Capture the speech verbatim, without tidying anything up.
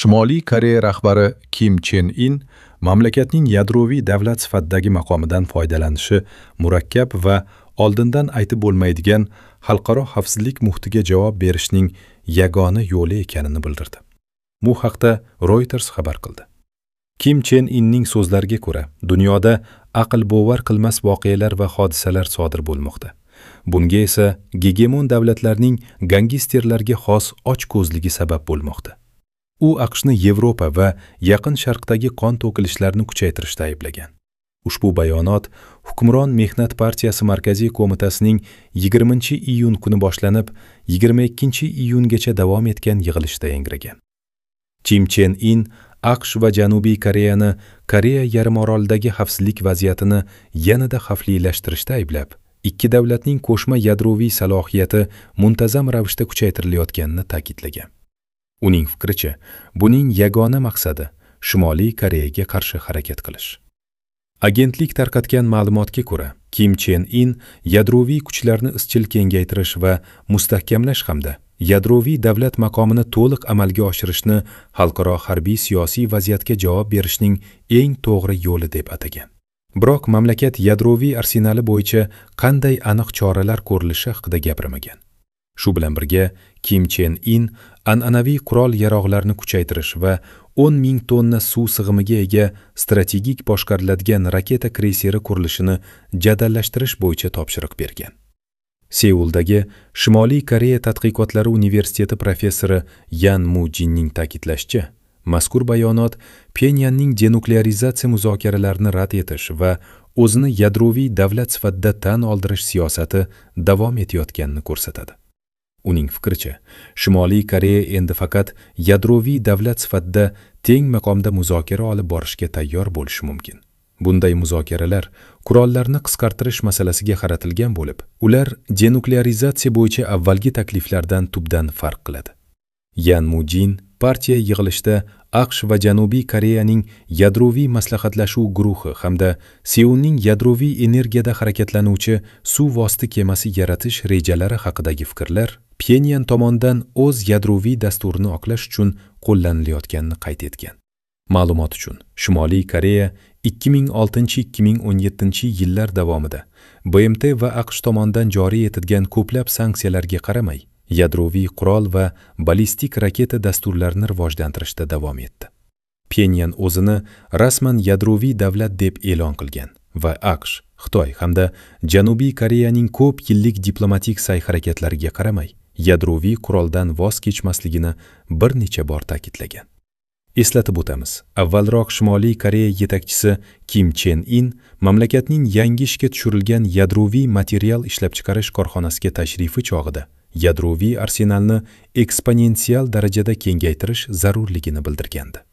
Shimoliy Koreya rahbari Kim Chen In mamlakatning yadroviy davlat sifatidagi maqomidan foydalanishi murakkab va oldindan aytib bo'lmaydigan xalqaro xavfsizlik muhitiga javob berishning yagona yo'li ekanini bildirdi. Bu haqda Reuters xabar qildi. Kim Chen Inning so'zlariga ko'ra, dunyoda aql bovar qilmas voqealar va hodisalar sodir bo'lmoqda. Bunga esa gegemon davlatlarning gangsterlarga xos ochko'zligi sabab bo'lmoqda. U A Q Shni Yevropa va Yaqin Sharqdagi qon to'kilishlarni kuchaytirishda ayblagan. Ushbu bayonot hukmron Mehnat partiyasi Markaziy qo'mitasining yigirmanchi iyun kuni boshlanib, yigirma ikkinchi iyungacha davom etgan yig'ilishda yangragan. Kim Chen In A Q Sh va Janubiy Koreyani Koreya yarimorolidagi xavfsizlik vaziyatini yanada xavflilashtirishda ayblab, ikki davlatning qo'shma yadroviy salohiyati muntazam ravishda kuchaytirilayotganini ta'kidlagan. Uning fikricha, buning yagona maqsadi Shimoliy Koreyaga qarshi harakat qilish. Agentlik tarqatgan ma'lumotga ko'ra, Kim Chen In yadroviy kuchlarni izchil kengaytirish va mustahkamlash hamda yadroviy davlat maqomini to'liq amalga oshirishni xalqaro harbiy siyosiy vaziyatga javob berishning eng to'g'ri yo'li deb atagan. Biroq mamlakat yadroviy arsenali bo'yicha qanday aniq choralar ko'rilishi haqida gapirmagan. Shu bilan birga, Kim Chen In an'anaviy qurol-yarog'larni kuchaytirish va o'n ming tonna suv sig'imiga ega strategik boshqariladigan raketa kreyseri qurilishini jadallashtirish bo'yicha topshiriq bergan. Seuldagi Shimoliy Koreya tadqiqotlari universiteti professori Yan Mu Jinning ta'kidlashicha, mazkur bayonot Pxenyanning denuklearizatsiya muzokaralarini rad etish va o'zini yadroviy davlat sifatida tan oldirish siyosati davom etayotganini ko'rsatadi. Uning fikricha, Shimoliy Koreya endi faqat yadroviy davlat sifatida teng maqomda muzokara olib borishga tayyor bo'lishi mumkin. Bunday muzokaralar qurollarni qisqartirish masalasiga qaratilgan bo'lib, ular denuklearizatsiya bo'yicha avvalgi takliflardan tubdan farq qiladi. Yan Mujin partiya yig'ilishida A Q Sh va Janubiy Koreyaning yadroviy maslahatlashuv guruhi hamda Seulning yadroviy energiyada harakatlanuvchi suv osti kemasi yaratish rejalari haqidagi fikrlar Pxenyan tomonidan o'z yadroviy dasturini oqlash uchun qo'llanilayotganini qayd etgan. Ma'lumot uchun, Shimoliy Koreya ikki ming oltinchi-ikki ming o'n yettinchi yillar davomida B M T va A Q Sh tomonidan joriy etilgan ko'plab sanksiyalarga qaramay, yadroviy qurol va ballistik raketa dasturlarini rivojlantirishda davom etdi. Pxenyan o'zini rasman yadroviy davlat deb e'lon qilgan va A Q Sh, Xitoy hamda Janubiy Koreyaning ko'p yillik diplomatik sa'y-harakatlariga qaramay, yadroviy quroldan voz kechmasligini bir necha bor ta'kidlagan. Eslatib o'tamiz, avvalroq Shimoliy Koreya yetakchisi Kim Chen In mamlakatning yangi ishga tushirilgan yadroviy material ishlab chiqarish korxonasiga tashrifi chog'ida yadroviy arsenalni eksponensial darajada kengaytirish zarurligini bildirgandi.